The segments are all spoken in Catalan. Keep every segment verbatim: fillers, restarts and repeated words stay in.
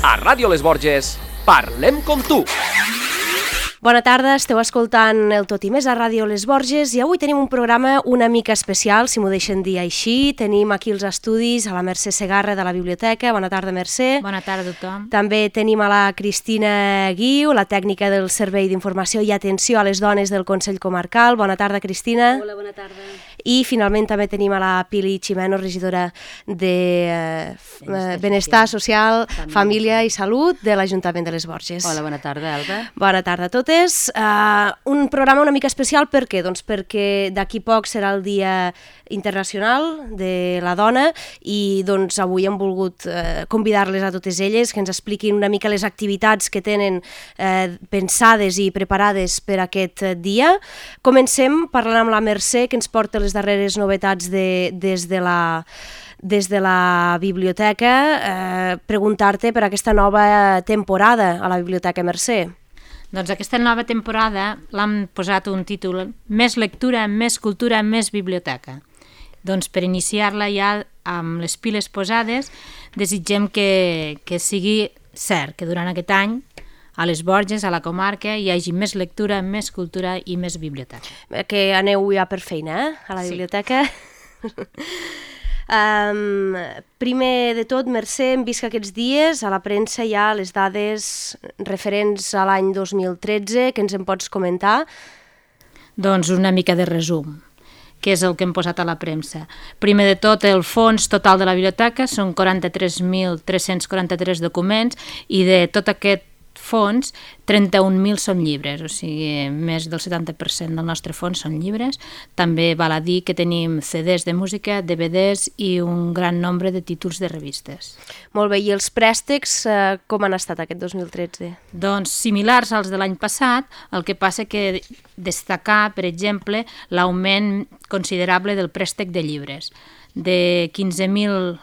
A Ràdio Les Borges, parlem com tu. Bona tarda, esteu escoltant el Tot i Més a Ràdio Les Borges i avui tenim un programa una mica especial, si m'ho deixen dir així. Tenim aquí els estudis a la Mercè Segarra de la Biblioteca. Bona tarda, Mercè. Bona tarda a tothom. També tenim a la Cristina Guiu, la tècnica del Servei d'Informació i Atenció a les Dones del Consell Comarcal. Bona tarda, Cristina. Hola, bona tarda. I finalment també tenim a la Pili Ximeno, regidora de eh, Benestar, Benestar Social, Social Família i Salut de l'Ajuntament de Les Borges. Hola, bona tarda, Alba. Bona tarda a totes. Uh, un programa una mica especial, per què? Doncs perquè d'aquí poc serà el Dia Internacional de la Dona i doncs avui hem volgut uh, convidar-les a totes elles que ens expliquin una mica les activitats que tenen uh, pensades i preparades per aquest dia. Comencem parlant amb la Mercè, que ens porta les darreres novetats de, des de la... des de la biblioteca, eh, preguntar-te per aquesta nova temporada a la Biblioteca Mercè. Doncs aquesta nova temporada l'hem posat un títol Més lectura, més cultura, més biblioteca. Doncs per iniciar-la ja amb les piles posades desitgem que, que sigui cert, que durant aquest any a les Borges, a la comarca, hi hagi més lectura, més cultura i més biblioteca. Que aneu ja per feina, eh? A la biblioteca. Sí. Um, primer de tot, Mercè, hem vist que aquests dies a la premsa hi ha les dades referents a l'any dos mil tretze, que ens en pots comentar? Doncs una mica de resum, que és el que hem posat a la premsa. Primer de tot, el fons total de la biblioteca són quaranta-tres mil tres-cents quaranta-tres documents i de tot aquest fons, trenta-un mil són llibres, o sigui, més del setanta per cent del nostre fons són llibres. També val a dir que tenim ce des de música, de ve des i un gran nombre de títols de revistes. Molt bé, i els préstecs eh, com han estat aquest dos mil tretze? Doncs similars als de l'any passat, el que passa que destacar, per exemple, l'augment considerable del préstec de llibres. De quinze mil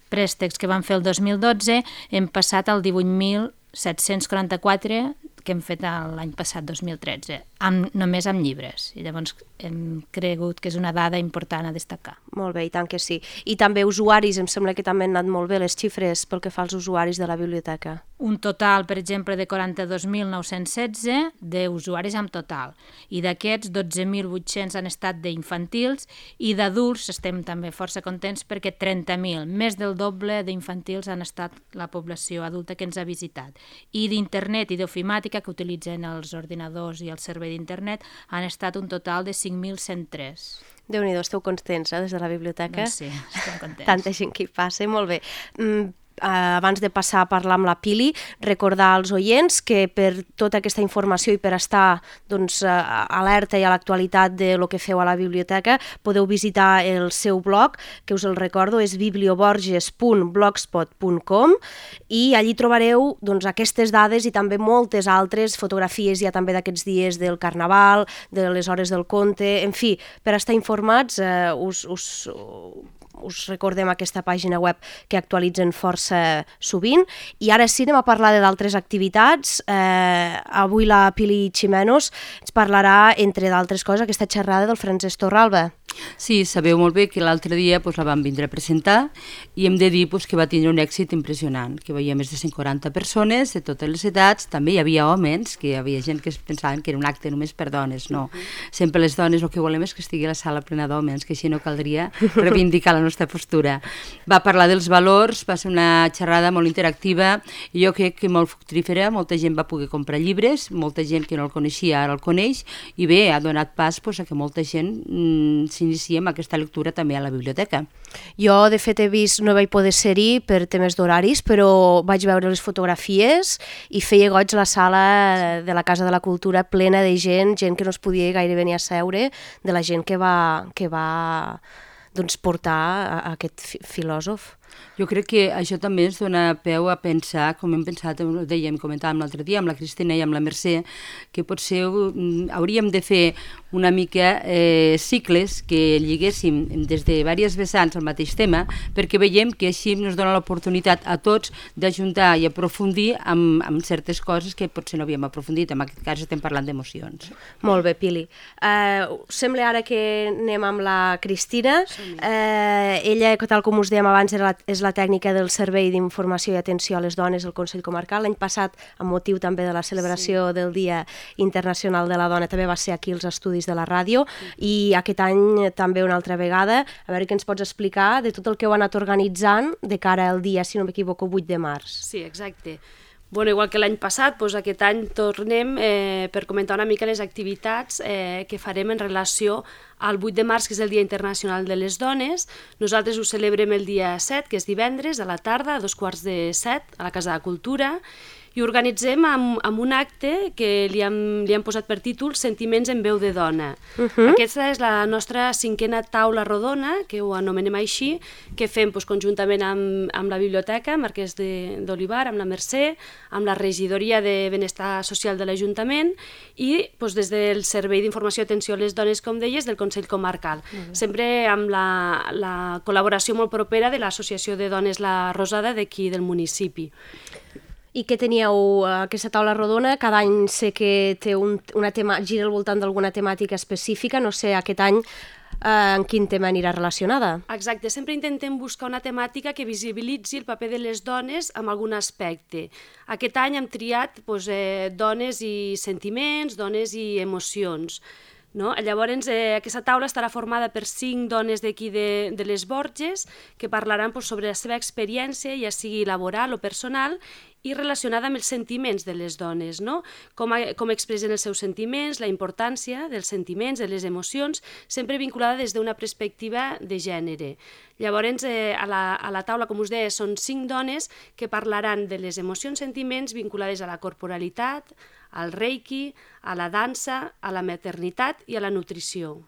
préstecs que vam fer el dos mil dotze hem passat al divuit mil set-cents quaranta-quatre que hem fet l'any passat, dos mil tretze, amb, només amb llibres. I llavors hem cregut que és una dada important a destacar. Molt bé, i tant que sí. I també usuaris, em sembla que també han anat molt bé les xifres pel que fa als usuaris de la biblioteca. Un total, per exemple, de quaranta-dos mil nou-cents setze d'usuaris en total. I d'aquests, dotze mil vuit-cents han estat d'infantils i d'adults estem també força contents perquè trenta mil, més del doble d'infantils han estat la població adulta que ens ha visitat. I d'internet i d'ofimàtica que utilitzen els ordinadors i el servei d'internet han estat un total de cinc mil cent tres. Déu-n'hi-do, esteu contents, eh, des de la biblioteca? Doncs sí, estem contents. Tanta gent que hi passa, molt bé. Mm, Uh, abans de passar a parlar amb la Pili, recordar als oients que per tota aquesta informació i per estar doncs, uh, alerta i a l'actualitat de lo que feu a la biblioteca podeu visitar el seu blog, que us el recordo, és biblioborges punt blogspot punt com i allí trobareu doncs, aquestes dades i també moltes altres fotografies ja també d'aquests dies del Carnaval, de les hores del conte, en fi, per estar informats uh, us... us us recordem aquesta pàgina web que actualitzen força sovint. I ara sí, anem a parlar d'altres activitats. Eh, avui la Pili Ximenos ens parlarà, entre d'altres coses, aquesta xerrada del Francesc Torralba. Sí, sabeu molt bé que l'altre dia pues, la vam vindre a presentar i hem de dir pues, que va tindre un èxit impressionant, que hi havia més de cent quaranta persones de totes les edats, també hi havia homes, que hi havia gent que es pensaven que era un acte només per dones, no. Sempre les dones el que volem és que estigui la sala plena d'homes, que així no caldria reivindicar la nostra postura. Va parlar dels valors, va ser una xerrada molt interactiva i jo crec que molt fructífera, molta gent va poder comprar llibres, molta gent que no el coneixia ara el coneix i bé, ha donat pas pues, a que molta gent mm, iniciem aquesta lectura també a la biblioteca. Jo, de fet, he vist, no vaig poder ser-hi per temes d'horaris, però vaig veure les fotografies i feia goig la sala de la Casa de la Cultura plena de gent, gent que no es podia gairebé ni asseure, de la gent que va, que va doncs, portar a, a aquest filòsof. Jo crec que això també ens dona peu a pensar, com hem pensat, ho dèiem, comentàvem l'altre dia amb la Cristina i amb la Mercè, que potser hauríem de fer una mica eh, cicles que lliguéssim des de diverses vessants al mateix tema, perquè veiem que així ens dona l'oportunitat a tots d'ajuntar i aprofundir amb, amb certes coses que potser no havíem aprofundit. En aquest cas estem parlant d'emocions. Molt bé, Pili. Uh, sembla ara que anem amb la Cristina. Uh, ella, tal com us dèiem abans, era la és la tècnica del Servei d'Informació i Atenció a les Dones del Consell Comarcal. L'any passat, amb motiu també de la celebració sí. del Dia Internacional de la Dona, també va ser aquí als estudis de la ràdio, i aquest any també una altra vegada. A veure què ens pots explicar de tot el que heu anat organitzant de cara al dia, si no m'equivoco, vuit de març. Sí, exacte. Bueno, igual que l'any passat, doncs aquest any tornem eh, per comentar una mica les activitats eh, que farem en relació al vuit de març, que és el Dia Internacional de les Dones. Nosaltres ho celebrem el dia set, que és divendres, a la tarda, a dos quarts de set, a la Casa de Cultura, i organitzem amb, amb un acte que li hem, li hem posat per títol Sentiments en veu de dona. Uh-huh. Aquesta és la nostra cinquena taula rodona, que ho anomenem així, que fem doncs, conjuntament amb, amb la Biblioteca Marquès d'Olivar, amb la Mercè, amb la Regidoria de Benestar Social de l'Ajuntament i doncs, des del Servei d'Informació i Atenció a les Dones, com deies, del Consell Comarcal. Uh-huh. Sempre amb la, la col·laboració molt propera de l'Associació de Dones La Rosada d'aquí del municipi. I què teníeu aquesta taula rodona? Cada any sé que té un, una tema, gira al voltant d'alguna temàtica específica, no sé, aquest any eh, en quin tema anirà relacionada? Exacte, sempre intentem buscar una temàtica que visibilitzi el paper de les dones en algun aspecte. Aquest any hem triat doncs, eh, dones i sentiments, dones i emocions. No? Llavors, eh, aquesta taula estarà formada per cinc dones d'aquí de, de les Borges que parlaran doncs, sobre la seva experiència, ja sigui laboral o personal, i relacionada amb els sentiments de les dones, no? Com, a, com expressen els seus sentiments, la importància dels sentiments, de les emocions, sempre vinculada des d'una perspectiva de gènere. Llavors, eh, a, la, a la taula, com us deia, són cinc dones que parlaran de les emocions, sentiments vinculades a la corporalitat, al reiki, a la dansa, a la maternitat i a la nutrició.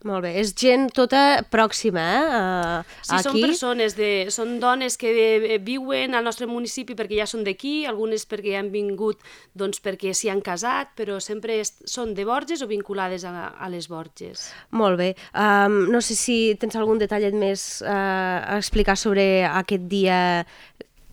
Molt bé, és gent tota pròxima, eh? Uh, sí, aquí. Són persones, de, són dones que de, viuen al nostre municipi perquè ja són d'aquí, algunes perquè han vingut doncs, perquè s'hi han casat, però sempre és, són de Borges o vinculades a, a les Borges. Molt bé. Um, no sé si tens algun detallet més uh, a explicar sobre aquest dia,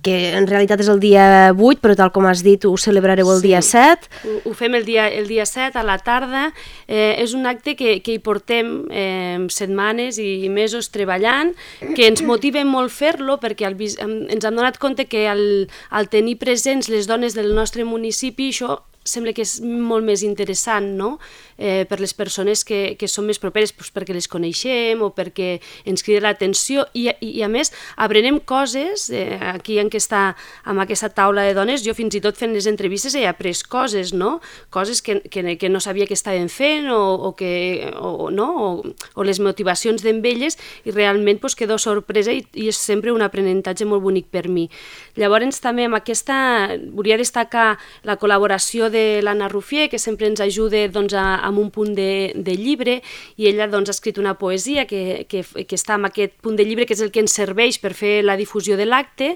que en realitat és el dia vuit, però tal com has dit, ho celebrareu el sí, dia set. Ho, ho fem el dia, el dia set a la tarda. Eh, és un acte que, que hi portem eh, setmanes i mesos treballant, que ens motiva molt fer-lo perquè el, ens hem donat compte que al, al tenir presents les dones del nostre municipi, això sembla que és molt més interessant, no? Eh, per les persones que, que són més properes, doncs perquè les coneixem o perquè ens crida l'atenció i, i, i a més aprenem coses, eh, aquí en aquesta, amb aquesta taula de dones, jo fins i tot fent les entrevistes he après coses, no? Coses que, que, que no sabia que estaven fent o, o, que, o, no? o, o les motivacions d'elles i realment doncs, quedo sorpresa i, i és sempre un aprenentatge molt bonic per mi. Llavors també amb aquesta volia destacar la col·laboració de de l'Anna Rufier, que sempre ens ajuda doncs, a, amb un punt de, de llibre, i ella doncs, ha escrit una poesia que, que, que està en aquest punt de llibre, que és el que ens serveix per fer la difusió de l'acte,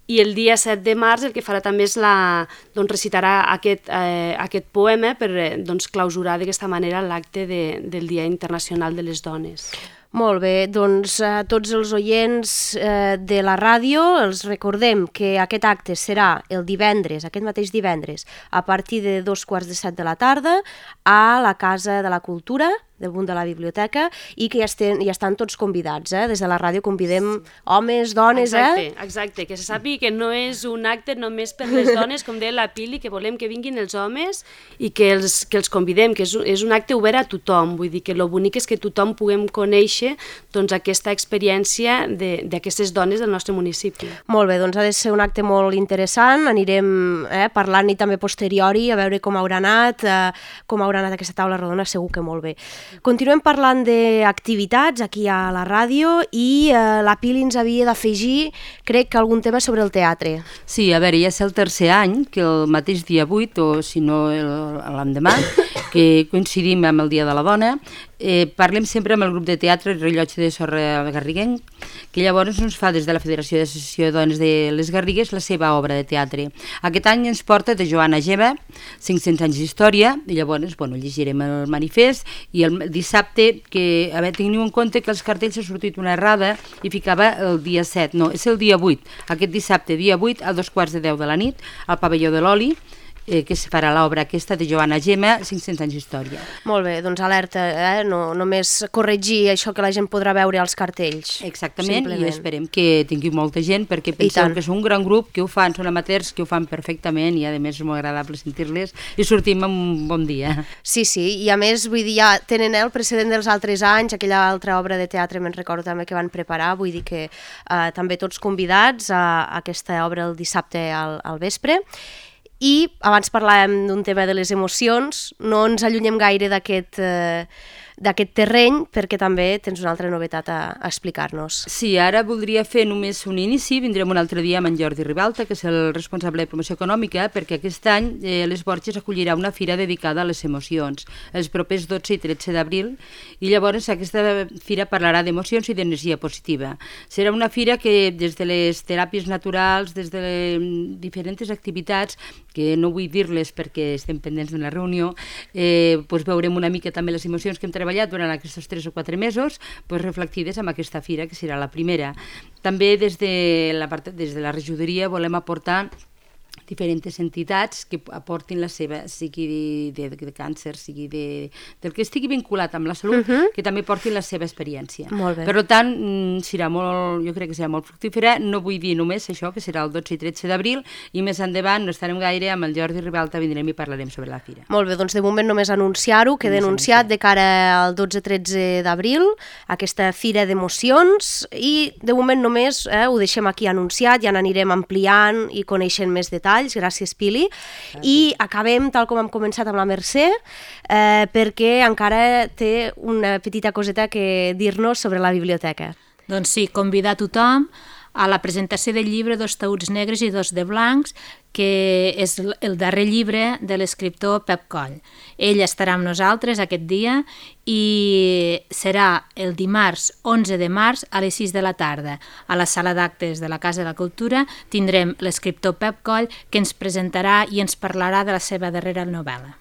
i el dia set de març el que farà també és la, doncs, recitarà aquest, eh, aquest poema per doncs, clausurar d'aquesta manera l'acte de, del Dia Internacional de les Dones. Molt bé, doncs a tots els oients eh, de la ràdio els recordem que aquest acte serà el divendres, aquest mateix divendres, a partir de dos quarts de set de la tarda a la Casa de la Cultura, del Bund de la Biblioteca, i que ja, estem, ja estan tots convidats, eh? Des de la ràdio convidem homes, dones, exacte, eh? Exacte, que se sàpiga que no és un acte només per les dones, com deia la Pili, que volem que vinguin els homes i que els, que els convidem, que és, és un acte obert a tothom, vull dir que el bonic és que tothom puguem conèixer doncs, aquesta experiència d'aquestes dones del nostre municipi. Molt bé, doncs ha de ser un acte molt interessant, anirem eh, parlant-hi també posteriori, a veure com haurà anat, eh, com haurà anat aquesta taula rodona, segur que molt bé. Continuem parlant d'activitats aquí a la ràdio i eh, la Pili ens havia d'afegir, crec que algun tema sobre el teatre. Sí, a veure, ja és el tercer any que el mateix dia vuit, o si no l'endemà, que coincidim amb el Dia de la Dona, eh, parlem sempre amb el grup de teatre Rellotge de Sorra Garriguenc, que llavors ens fa des de la Federació d'Associació de Dones de les Garrigues la seva obra de teatre. Aquest any ens porta de Joana Geva, cinc-cents anys d'història, i llavors bueno, llegirem el manifest, i el dissabte, que a veure, teniu en compte que els cartells ha sortit una errada i ficava el dia set, no, és el dia vuit, aquest dissabte, dia vuit, a dos quarts de deu de la nit, al pavelló de l'Oli, eh, que es farà l'obra aquesta de Joana Gemma, cinc-cents anys d'història. Molt bé, doncs alerta, eh? no només corregir això que la gent podrà veure als cartells. Exactament, Simplement. i esperem que tingui molta gent, perquè penseu que és un gran grup, que ho fan, són amateurs, que ho fan perfectament, i a més és molt agradable sentir-les, i sortim amb un bon dia. Sí, sí, i a més, vull dir, ja tenen el precedent dels altres anys, aquella altra obra de teatre, me'n recordo també que van preparar, vull dir que eh, també tots convidats a, a aquesta obra el dissabte al, al vespre. I abans parlàvem d'un tema de les emocions, no ens allunyem gaire d'aquest eh, d'aquest terreny, perquè també tens una altra novetat a, a explicar-nos. Sí, ara voldria fer només un inici, vindrem un altre dia amb en Jordi Ribalta, que és el responsable de promoció econòmica, perquè aquest any eh, les Borges acollirà una fira dedicada a les emocions, els propers dotze i tretze d'abril, i llavors aquesta fira parlarà d'emocions i d'energia positiva. Serà una fira que des de les teràpies naturals, des de les diferents activitats, que no vull dir-les perquè estem pendents de la reunió, eh, doncs veurem una mica també les emocions que hem treballat durant aquests tres o quatre mesos, doncs reflectides en aquesta fira, que serà la primera. També des de la, part, des de la regidoria volem aportar diferents entitats que aportin la seva, sigui de, de, de càncer, sigui de, del que estigui vinculat amb la salut, uh-huh. que també portin la seva experiència. Molt bé. Per tant, serà molt, jo crec que serà molt fructífera, no vull dir només això, que serà el dotze i tretze d'abril, i més endavant no estarem gaire, amb el Jordi Ribalta vindrem i parlarem sobre la fira. Molt bé, doncs de moment només anunciar-ho, queda anunciat de cara al dotze i tretze d'abril, aquesta fira d'emocions, i de moment només eh, ho deixem aquí anunciat, ja n'anirem ampliant i coneixent més detalls. Gràcies, Pili. I acabem, tal com hem començat, amb la Mercè, eh, perquè encara té una petita coseta que dir-nos sobre la biblioteca. Doncs sí, convidar tothom a la presentació del llibre Dos taüts negres i dos de blancs, que és el darrer llibre de l'escriptor Pep Coll. Ell estarà amb nosaltres aquest dia i serà el dimarts onze de març a les sis de la tarda. A la sala d'actes de la Casa de la Cultura tindrem l'escriptor Pep Coll, que ens presentarà i ens parlarà de la seva darrera novel·la.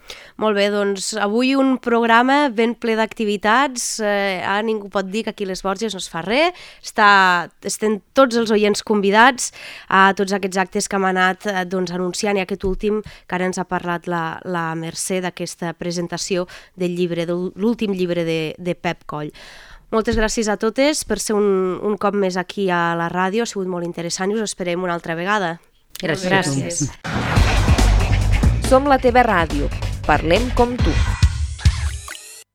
Molt bé, doncs avui un programa ben ple d'activitats. Eh, ara ningú pot dir que aquí a les Borges no es fa res. Està, estem tots els oients convidats a tots aquests actes que hem anat eh, doncs, anunciant, i aquest últim que ara ens ha parlat la, la Mercè d'aquesta presentació del llibre, de l'últim llibre de, de Pep Coll. Moltes gràcies a totes per ser un, un cop més aquí a la ràdio, ha sigut molt interessant i us esperem una altra vegada. Gràcies. Gràcies. Som la teva ràdio. Parlem com tu.